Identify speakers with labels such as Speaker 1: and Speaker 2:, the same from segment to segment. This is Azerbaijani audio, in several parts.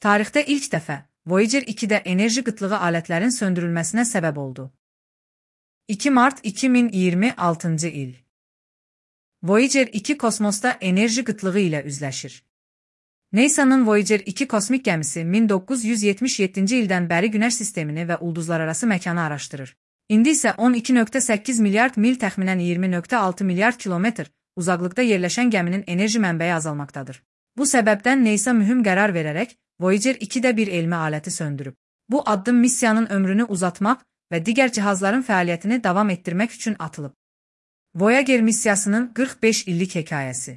Speaker 1: Tarixdə ilk dəfə Voyager 2-də enerji qıtlığı alətlərin söndürülməsinə səbəb oldu. 2 mart 2026 il. Voyager 2 kosmosda enerji qıtlığı ilə üzləşir. NASA'nın Voyager 2 kosmik gəmisi 1977-ci ildən bəri Günəş sistemini və ulduzlararası məkanı araşdırır. İndi isə 12,8 milyard mil təxminən 20,6 milyard kilometr uzaqlıqda yerləşən gəminin enerji mənbəyi azalmaqdadır. Bu səbəbdən NASA mühüm qərar verərək Voyager 2-də bir elmi aləti söndürüb. Bu addım missiyanın ömrünü uzatmaq və digər cihazların fəaliyyətini davam etdirmək üçün atılıb. Voyager missiyasının 45 illik hekayəsi.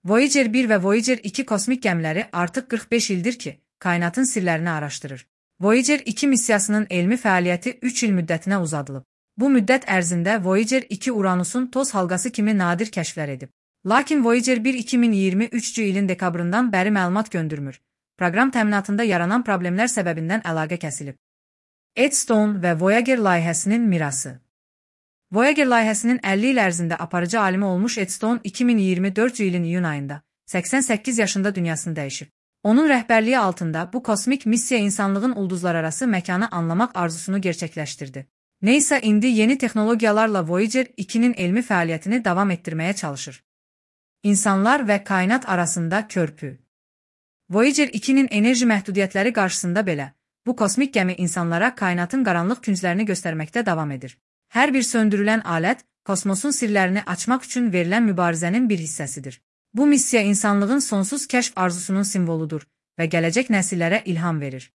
Speaker 1: Voyager 1 və Voyager 2 kosmik gəmiləri artıq 45 ildir ki, kainatın sirlərini araşdırır. Voyager 2 missiyasının elmi fəaliyyəti 3 il müddətinə uzadılıb. Bu müddət ərzində Voyager 2 Uranusun toz halqası kimi nadir kəşflər edib. Lakin Voyager 1 2023-cü ilin dekabrından bəri məlumat göndərmir. Proqram təminatında yaranan problemlər səbəbindən əlaqə kəsilib. Eddstone və Voyager layihəsinin mirası. Voyager layihəsinin 50 il ərzində aparıcı alimi olmuş Eddstone 2024-cü ilin iyun ayında 88 yaşında dünyasını dəyişib. Onun rəhbərliyi altında bu kosmik missiya insanlığın ulduzlararası məkanı anlamaq arzusunu gerçəkləşdirdi. NASA indi yeni texnologiyalarla Voyager 2-nin elmi fəaliyyətini davam etdirməyə çalışır. İnsanlar və kainat arasında körpü. Voyager 2-nin enerji məhdudiyyətləri qarşısında belə, bu kosmik gəmi insanlara kainatın qaranlıq künclərini göstərməkdə davam edir. Hər bir söndürülən alət, kosmosun sirlərini açmaq üçün verilən mübarizənin bir hissəsidir. Bu missiya insanlığın sonsuz kəşf arzusunun simvoludur və gələcək nəsillərə ilham verir.